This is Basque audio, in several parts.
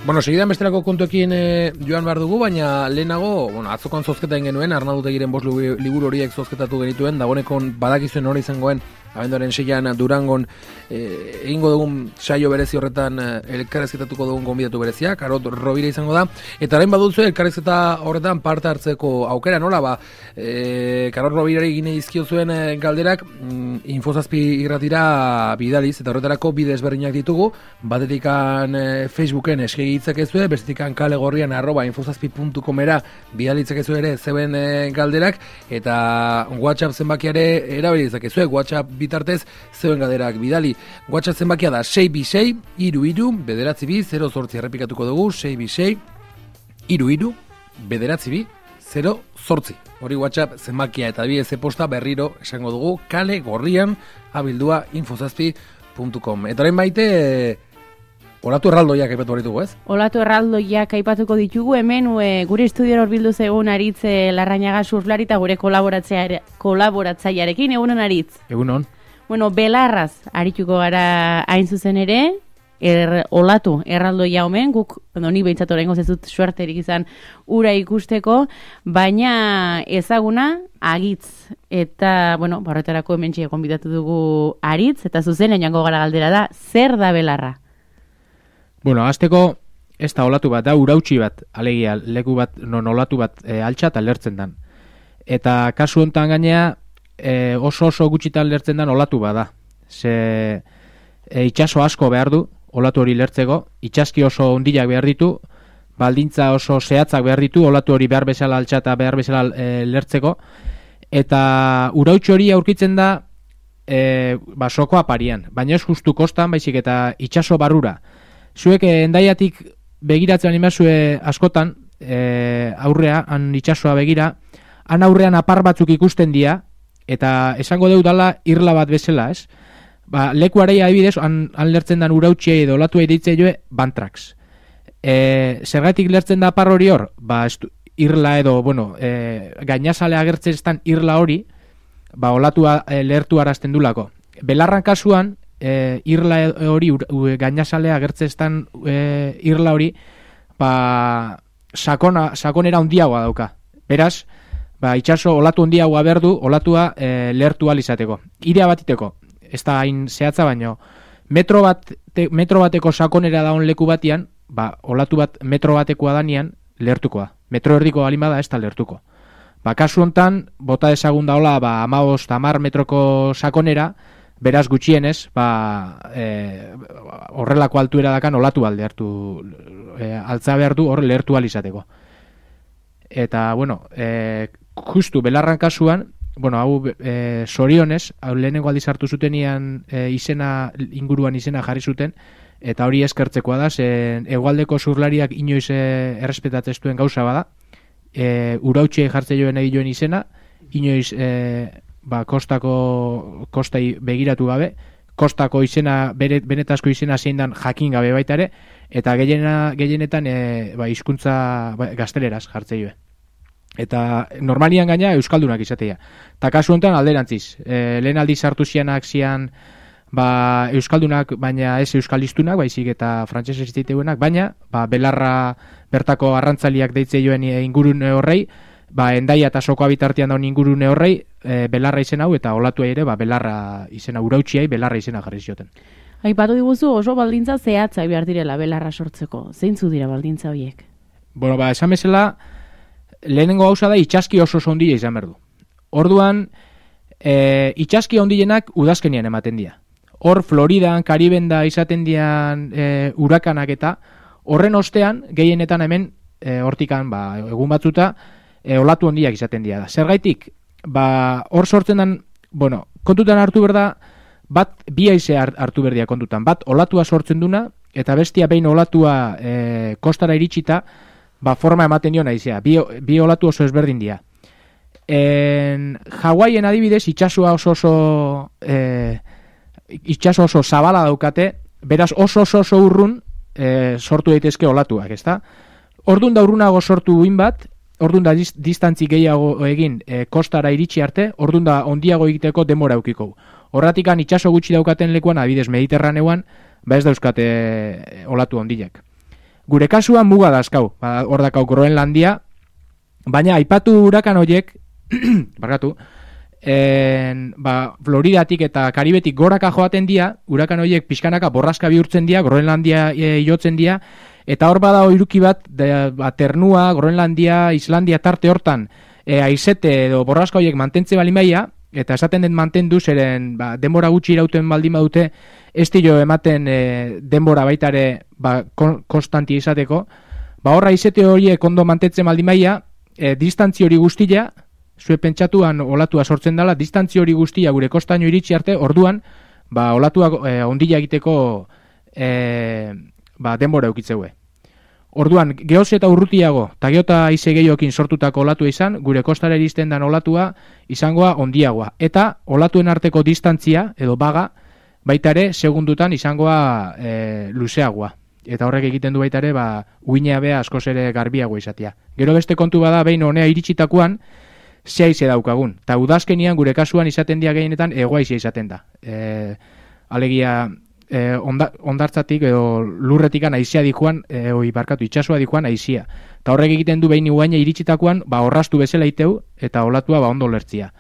Bueno, segidan bestelako kontuekin joan behar dugu, baina lehenago, atzokon zozketa genuen, Arnaldutegiren 5 liburu horiek zozketatu genituen, dagoenekon badakizuen hori izangoen, abenduaren 6an Durangon egingo dugun saio berezi horretan elkarrezketatuko dugun gonbidatu berezia, Karot Rovira izango da, eta orain badutzu elkarrezketa horretan parte hartzeko aukera, nola, Karot Rovirari gine izkio zuen galderak, Info7 irratira bidaliz, eta horretarako bide ezberdinak ditugu, batetikan Facebooken eskegitzakezue, bestetikan kalegorrian @info7.comera bidalitzakezue ere zeuen galderak, eta WhatsApp zenbakiare erabilitzakezue, WhatsApp bitartez zeuen galderak bidali. WhatsApp zenbakia da 626 33 bederatzibi 08 errepikatuko dugu, 626 33 bederatzibi 08. Hori WhatsApp zenbakia eta bidez posta berriro esango dugu kale gorrian abildua info7.com. Eta orain baite olatu erraldoiak aipatu baritugu, ez? Olatu erraldoiak aipatuko ditugu, hemen gure estudiora horbildu zegoen Aritz Larrañaga surflari eta gure kolaboratzailearekin, egunon Aritz? Egunon. Bueno, belarraz arituko gara hain zuzen ere, olatu erraldoia omen, guk, ni behintzat oraingoz ez dut suerterik izan ura ikusteko, baina ezaguna Agitz, eta, horretarako hemen txea konbidatu dugu Aritz, eta zuzen jango gara galdera da, zer da belarra? Azteko ez da olatu bat, da urautxi bat, alegia, leku bat, non olatu bat altxat alertzen dan. Eta kasu honetan gainea, oso gutxitan lertzen dan olatu bat da. Ze itxaso asko behar du, olatu hori lertzeko, itxaski oso ondilak behar ditu, baldintza oso zehatzak behar ditu, olatu hori behar bezala altxata behar bezala lertzeko, eta urautxi hori aurkitzen da soko aparian, baina ez justu kostan, baizik eta itxaso barrura. Zuek endaiatik begiratzen animazue askotan, aurrea, han itxasoa begira, han aurrean apar batzuk ikusten dira, eta esango dela irla bat bezala, ez? Lekuarei adibidez, han lertzen dan urautxiei edo olatuei deitzea joe, bantrax. Zergatik lertzen da apar hori hor? Irla edo, gainazale agertzen estan irla hori, olatua lehertu arazten dulako. Belarran kasuan, irla hori, gainazalea agertzestan irla hori, sakonera handiagoa dauka. Beraz, itxaso olatu handiagoa berdu, olatua lehertu alizateko. Irea batiteko, ez da hain zehatza baino, metro bateko sakonera daun leku batian, olatu bat metro batekoa danian, lehertukoa. Metro erdiko alimada ez da lehertuko. Kasu hontan, bota dezagun daola, 15-10 metroko sakonera, beraz gutxienez, horrelako altuera dakan olatu alde hartu, altza behar du hor lehertu alizateko. Eta, justu belarran kasuan, hau zorionez, lehenengo aldiz hartu zutenian inguruan izena jarri zuten, eta hori eskertzekoa da, hegoaldeko surlariak inoiz errespetatzen duen gauza bada, urautxe jartze joen egin izena, inoiz kostai begiratu gabe, kostako izena, benetazko izena zein dan jakin gabe baita ere, eta gehienetan hizkuntza gazteleraz jartze joe. Eta normalian gaina euskaldunak izatea. Eta kasu honetan alderantziz, lehen aldiz hartu zianak zian euskaldunak, baina ez euskalistunak, baizik eta frantsesez ziteuenak, baina belarra bertako arrantzaliak deitze joen ingurune horrei, endaia eta soko bitartean daun ingurune horrei, belarra izen hau, eta olatu ere, belarra izena, urautxiai belarra izena jarri zioten. Aipatu diguzu oso baldintza zehatzak behar direla belarra sortzeko. Zeintzu dira baldintza horiek? Esan bezala, lehenengo gauza da itxaski oso ondile izan berdu. Orduan, itxaski ondilenak udazkenian ematen dira. Hor, Floridan, Kariben da izaten dian urakanak eta horren ostean, gehienetan hemen, hortikan, egun batzuta, olatu ondiak izaten dira. Zergaitik, hor sortzen den, kontutan hartu berda, bi haize hartu berdia kontutan. Bat, olatua sortzen duna, eta bestia behin olatua kostara iritsita, forma ematen dio naizea. Bi olatu oso ezberdin dira. Hawaien adibidez, itxaso oso zabala daukate, beraz oso urrun sortu daitezke olatuak, ezta? Ordun da urrunago sortu uin bat, ordun da distantzi gehiago egin kostara iritsi arte, ordun da ondiago egiteko denbora eukiko. Horratikan itxaso gutxi daukaten lekuan, adibidez Mediterraneoan, ez dauzkate olatu ondilak. Gure kasuan muga dazkau, hor dakau Groenlandia, baina aipatu hurakan horiek, barkatu, Floridatik eta Karibetik goraka joaten dia, hurakan horiek pixkanaka borraska bihurtzen dia, Groenlandia jotzen dia, eta hor bada iruki bat, ternua, Groenlandia, Islandia tarte hortan, aizete edo borraska horiek mantentze balimaia, eta esaten den mantendu zeren denbora gutxi irauten baldin badute, ez dio ematen denbora baitare konstanti izateko, horra aizete horiek ondo mantentzen baldin maia, distantzi hori guztia, zue pentsatuan olatua sortzen dela, distantzi hori guztia gure kostaino iritsi arte, orduan, olatuak ondila egiteko denbora eukitzeue. Orduan, gehoz eta urrutiago, eta geota aize gehiokin sortutako olatua izan, gure kostara iristen dan olatua izangoa ondiagoa. Eta olatuen arteko distantzia, edo baga, baita ere, segundutan izangoa luzeagoa. Eta horrek egiten du baita ere, uinea bea askoz ere garbiagoa izatea. Gero beste kontu bada, behin honea iritsitakoan, ze aize daukagun. Eta udazkenian gure kasuan izaten dia gehienetan, egoaizia izaten da. Alegia, ondartzatik edo lurretikan aizia dikoan, itxasua dikoan aizia. Eta horrek egiten du behin ugaina iritsitakoan, orrastu bezala iteu, eta olatua ondo lertzia.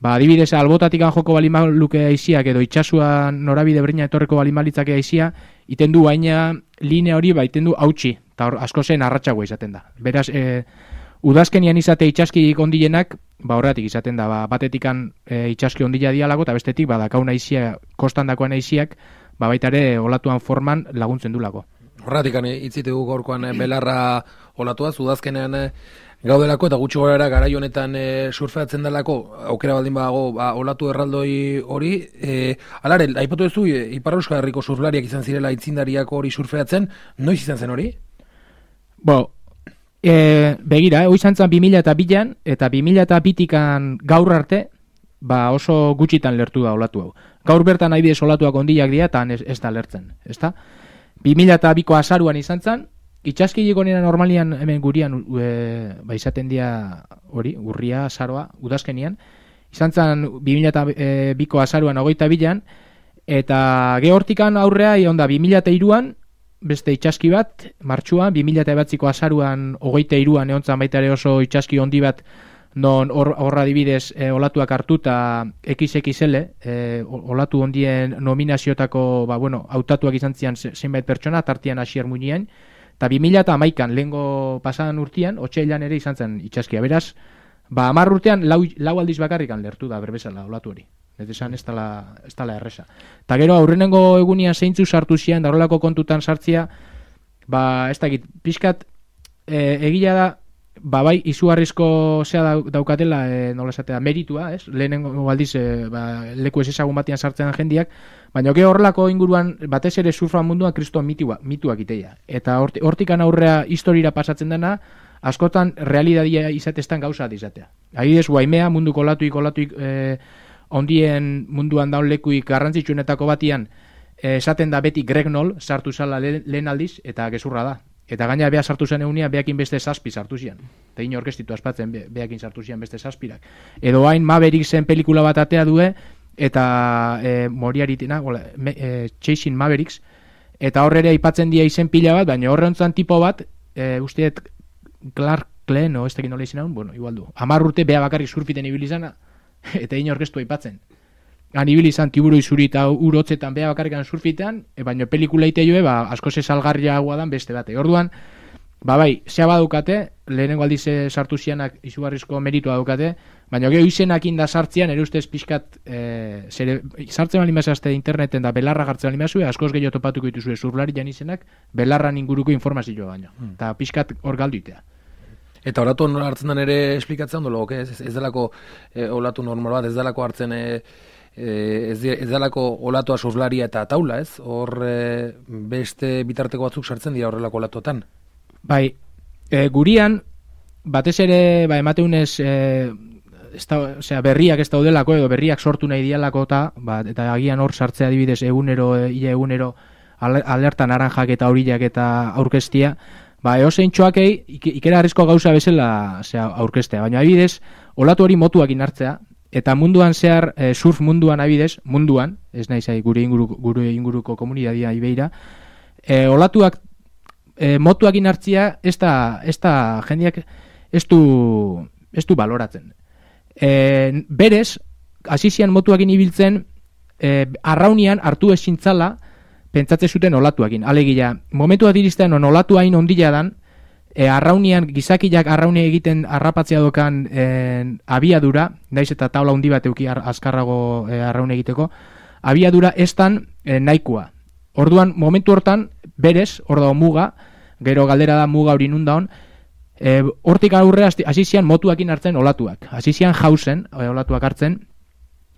Adibidez, albotatik joko balimaluke aiziak edo itxasua norabide berina etorreko balimalitzake aizia, iten du baina linea hori iten du hautsi, eta asko zen arratsagoa izaten da. Beraz, udazkenian izate itxaskik ondienak, horretik izaten da, batetikan itxaski ondila dialago, eta bestetik, dakaun aizia, kostandakoan aiziak, baita ere olatuan forman laguntzen du lako. Horretik, itzitegu gaurkoan belarra olatua, udazkenean gaudelako eta gutxi gorara garai honetan surfeatzen delako, aukera baldin badago olatu erraldoi hori, alare, aipatu duzu, Ipar Euskal Herriko surflariak izan zirela aitzindariak hori surfeatzen, noiz izan zen hori? Begira, hori izan zen 2002an, eta 2002tikan gaur arte, oso gutxitan lertu da olatu hau. Gaur bertan adibidez olatuak ondilak dira, eta ez da lertzen, ezta? 2002ko azaruan izan zen, itxaskiliko nena normalian hemen gurian izaten dira hori, urria, azaroa, udazkenian, izan zen 2002ko azaruan 22an, eta gehortikan aurrea, onda 2003an, beste itxaski bat, martxuan, 2008ko azaruan 23an egontzan baita ere oso itxaski ondi bat, non horra dibidez olatuak hartuta XXL, olatu ondien nominaziotako, hautatuak izan zian zenbait pertsona, tartian Asier Muñien, eta 2011an, lehengo pasadan urtean, otsailean ere izan zen itxaskia. Beraz, 10 urtean, lau aldiz bakarrikan lertu da berbezala olatu hori. Ez esan ez dala erresa. Eta gero, aurrenengo egunian zeintzu sartu zian, darolako kontutan sartzia, ez dakit, pixkat, egila da, bai, izugarrizko zea daukatela, nola esatea, meritua, ez? Lehenengo aldiz, leku ez ezagun batian sartzen jendiak, baina gero horrelako inguruan, batez ere surfa munduan kriston mituak iteia. Eta hortikan aurrea historira pasatzen dena, askotan realidadia izatestan gauza izatea. Adibidez, Guaimea munduko olatuik ondien munduan daun lekuik garrantzitsuenetako batian, esaten da beti Greg Noll sartu zala lehen aldiz, eta gezurra da. Eta gaina beha sartu zen egunean, behakin beste 7 sartu zian. Eta ino orkestitu aspatzen, behakin sartu zian beste 7. Edo hain Maverick zen pelikula bat atea due, eta Moriaritina, Chasing Mavericks, eta horre aipatzen dia izen pila bat, baina horre ontzan tipo bat, usteet Clark Glenn, ez tekin nola izan hau, igual du. 10 urte beha bakarrik surfiten ibilizana, eta ino orkestu aipatzen. Han ibilizan tiburu izuri eta urotzetan beha bakarrikan surfitean, baina pelikula ite joe, asko salgarria guadan beste bate. Orduan, bai, zea badukate, lehenengo aldiz sartu zianak izugarrizko meritua dukate, baina geho izenak inda sartzean, ere ustez pixkat, sartzen bali mazazte interneten da belarra gartzen bali mazue, askoz gehiago topatuko dituzue surlari jan izenak, belarran inguruko informazioa baino. Eta pixkat hor galduitea. Eta olatu nola hartzen den ere esplikatzen ondo, ez delako olatu normal bat, ez delako hartzen ez delako olatua surflaria eta taula, ez? Hor beste bitarteko batzuk sartzen dira horrelako olatuetan. Bai, gurian, batez ere, emateunez, berriak ez daudelako, edo berriak sortu nahi dialako eta agian hor sartzea adibidez egunero alerta naranjak eta aurillak eta aurkestia, eosein txoakei ikera harrizko gauza bezala aurkestea, baina adibidez, olatu hori motuakin hartzea, eta munduan zehar, surf munduan abidez, munduan, ez nahi zai gure inguruko komunidadia ibeira, olatuak motuakin hartzia ez da jendeak ez du baloratzen. Berez, hasizian motuakin ibiltzen, arraunian hartu ezintzala pentsatze zuten olatuakin. Alegia, momentua diristean olatu hain ondila dan, arraunian, gizakiak arraunia egiten harrapatzea dokan abiadura, naiz eta taula handi bat euki azkarrago arraun egiteko, abiadura estan nahikoa. Orduan, momentu hortan, berez, hor dago muga, gero galdera da muga hori nun daun, hortik aurre hasizian motuakin hartzen olatuak. Hasizian jauzen, olatuak hartzen,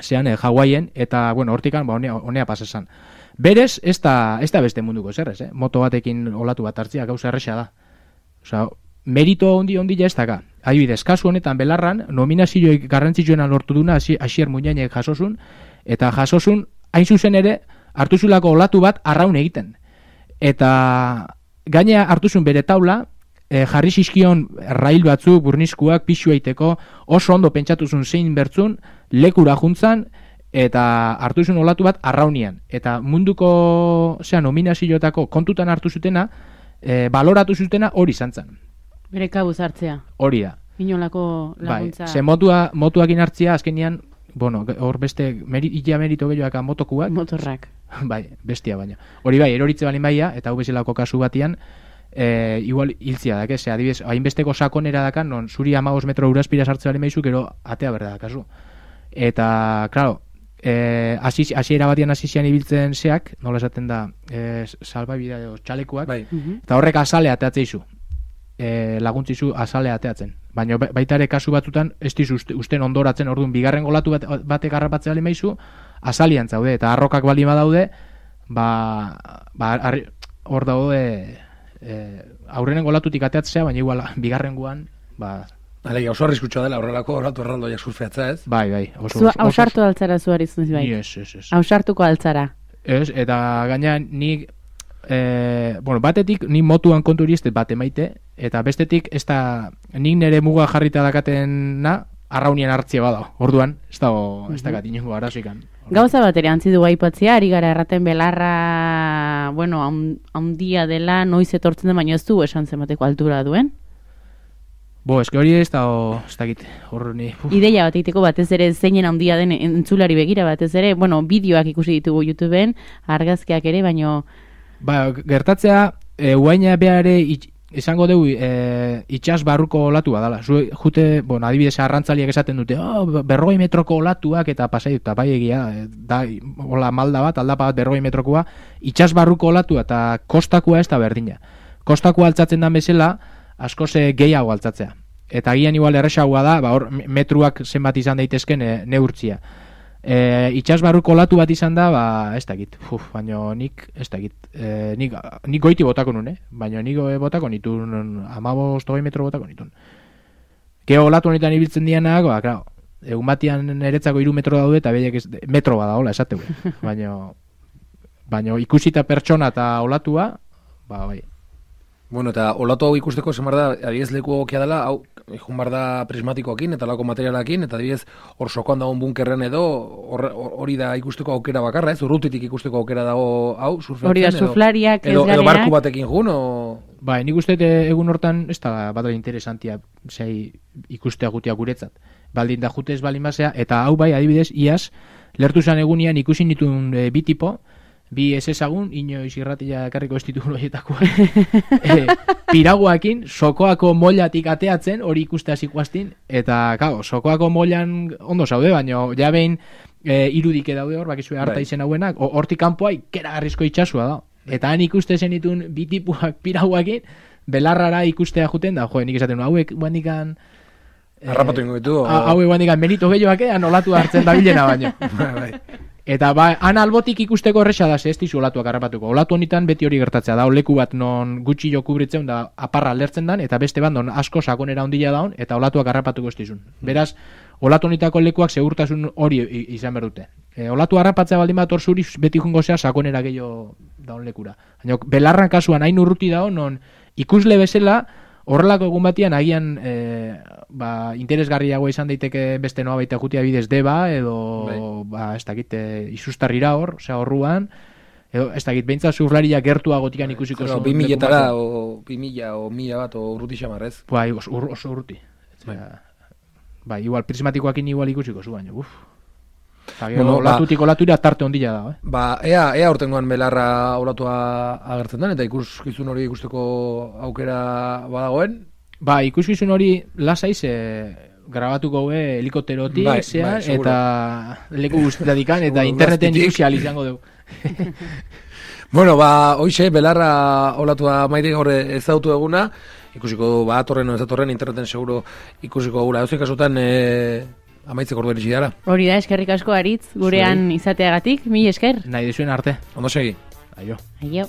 zean Hawaien, eta, bueno, hortikan, honea pasesan. Berez, ez da beste munduko zerrez, moto batekin olatu bat hartzia, gauza erresa da. Osea, merito ondi ez daka. Adibidez, kasu honetan belarran, nominazioek garrantzitsuena lortu duna Asier Muñainek jasosun, eta jasosun, hain zuzen ere, hartu zulako olatu bat arraun egiten. Eta gainea hartu zuen bere taula, jarri zizkion rail batzuk, burniskuak, pixu eiteko, oso ondo pentsatu zuen zein bertzun, lekura juntzan, eta hartu zuen olatu bat arraunian. Eta munduko nominazioetako kontutan hartu zutena, baloratu zutena hori zantzan. Bere kabuz hartzea. Hori da. Inolako laguntza. Bai, ze motuakin hartzia, azkenian, bueno, hor beste ia merito gehiagoak motokuak. Motorrak. Bai, bestia baina. Hori bai, eroritze balin baia, eta hau bezalako kasu batian, igual hiltzia da, ze, adibidez, hainbesteko sakonera dakan, non zuri 15 metro uraspira sartze balin baizu, gero atea berda da, kasu. Eta, klaro, hasiera batian hasizian ibiltzen zeak, nola esaten da, salbabidea edo txalekuak, bai. Eta horrek azale ateatzeizu. Laguntzizu azale ateatzen. Baina baita ere kasu batzutan ez dizu usten ondoratzen, orduan bigarren golatu batek harrapatzea bali maizu, azalian zaude, eta arrokak bali badaude, hor daude aurrenen golatutik ateatzea, baina igual bigarren guan, Alegia, oso arriskutsua dela horrelako olatu erraldoiak surfeatza, ez? Bai. Hausartu altzara zuari zunez bai. Ez. Hausartuko altzara. Ez, eta gaina nik batetik ni motuan konturi ez bat emaite, eta bestetik ez da nik nire muga jarrita dakatena arraunien hartzia bada. Orduan, ez dakat inongo arazoikan. Gauza bat ere antzi du aipatzea, ari gara erraten belarra, bueno, handia dela, noiz etortzen den, baina ez du esan zenbateko altura duen. Eske hori ez dakit, hor ni... Ideia bat egiteko batez ere zeinen handia den entzulari begira batez ere, bueno, bideoak ikusi ditugu YouTubeen, argazkiak ere, baino... Gertatzea, uaina behare izango dugu itxas barruko olatua dala. Jute, adibidez arrantzaliak esaten dute, 40 metroko olatuak eta pasai dut, bai egia, da, hola malda bat, aldapa bat 40 metrokoa, itxas barruko olatua eta kostakoa ez da berdina. Kostakoa altzatzen da bezala, askoz gehiago altzatzea. Eta gian igual erresagoa da, hor metruak zenbat izan daitezken neurtzia. Itxas barruko olatu bat izan da, ez dakit. Baina nik, ez dakit. Nik goiti botako nun, baina nik botako nitun, 15-20 metro botako nitun. Geo olatu honetan ibiltzen dianak, klaro, egun batian eretzako 3 metro daude, eta behiek metro bada, hola, esategu. Baina ikusita pertsona eta olatua, bai. Bueno, eta olatu hau ikusteko zemar da, adibidez leku egokia dela, hau, bar da prismatikoakin eta lako materialakin, eta adibidez hor sokoan dagoen bunkerren edo, hori da ikusteko aukera bakarra, ez? Urrutitik ikusteko aukera dago, hau, surfeatzen? Hori da, suflariak ez garenak. Edo barku batekin jun, o... Bai, nik uste egun hortan, ez da bat interesantia, zei ikustea gutia guretzat. Baldin da jutez baldin basea, eta hau bai, adibidez, iaz, lertu zan egunian ikusi nituen bi tipo, bi ez ezagun, inoiz irratia ekarriko ez ditugun horietakoa. Piraguakin, sokoako mollatik ateatzen, hori ikuste hasiko astin, eta, kao, sokoako mollan ondo zaude, baina ja behin irudike daude hor, bakizue harta izen hauenak, hortik kanpoa ikeragarrizko itxasua da. Eta han ikuste zenitun bi tipuak piraguakin, belarrara ikustea juten da, nik esaten hauek guandikan... Harrapatu ingo ditu. Hauek guandikan merito gehioak nolatu hartzen da bilena baino. Eta han albotik ikusteko erresa da, ez dizu olatuak harrapatuko. Olatu honetan beti hori gertatzea da, leku bat non gutxi jo kubritzen da aparra alertzen dan, eta beste bat non asko sakonera ondila daun, eta olatuak harrapatuko ez dizun. Beraz, olatu honetako lekuak segurtasun hori izan behar dute. Olatu harrapatzea baldin bat hor zuri beti jungo zea sakonera gehiago daun lekura. Baina, belarran kasuan hain urruti daun, non ikusle bezala, horrelako egun batian agian interesgarriago izan daiteke beste noa baita jutia bidez deba edo ez dakit isustarrira hor, osea horruan Edo, ez dakit, behintzat zurlaria gertuagotikan ikusiko zuen. 2000-etara, o 2000 o 1000 bat, o urruti xamarrez. Bai, oso urruti. Bai, igual, prismatikoakin igual ikusiko zuen, baina, olatutik olatura tarte ondila da, ea urtengoan belarra olatua agertzen den, eta ikuskizun hori ikusteko aukera badagoen. Ikuskizun hori lasaiz grabatuko helikopterotik, eta leku guztiatikan, eta interneten ikusi izango dugu. Bueno, hoxe, belarra olatua maitik gaur ezautu eguna, ikusiko atorren o ezatorren interneten seguro ikusiko gula. Eusen kasutan amaitzeko ordu eritsi dara. Hori da, eskerrik asko Aritz, gurean izateagatik, mil esker. Nahi dizuen arte. Ondo segi. Aio. Aio.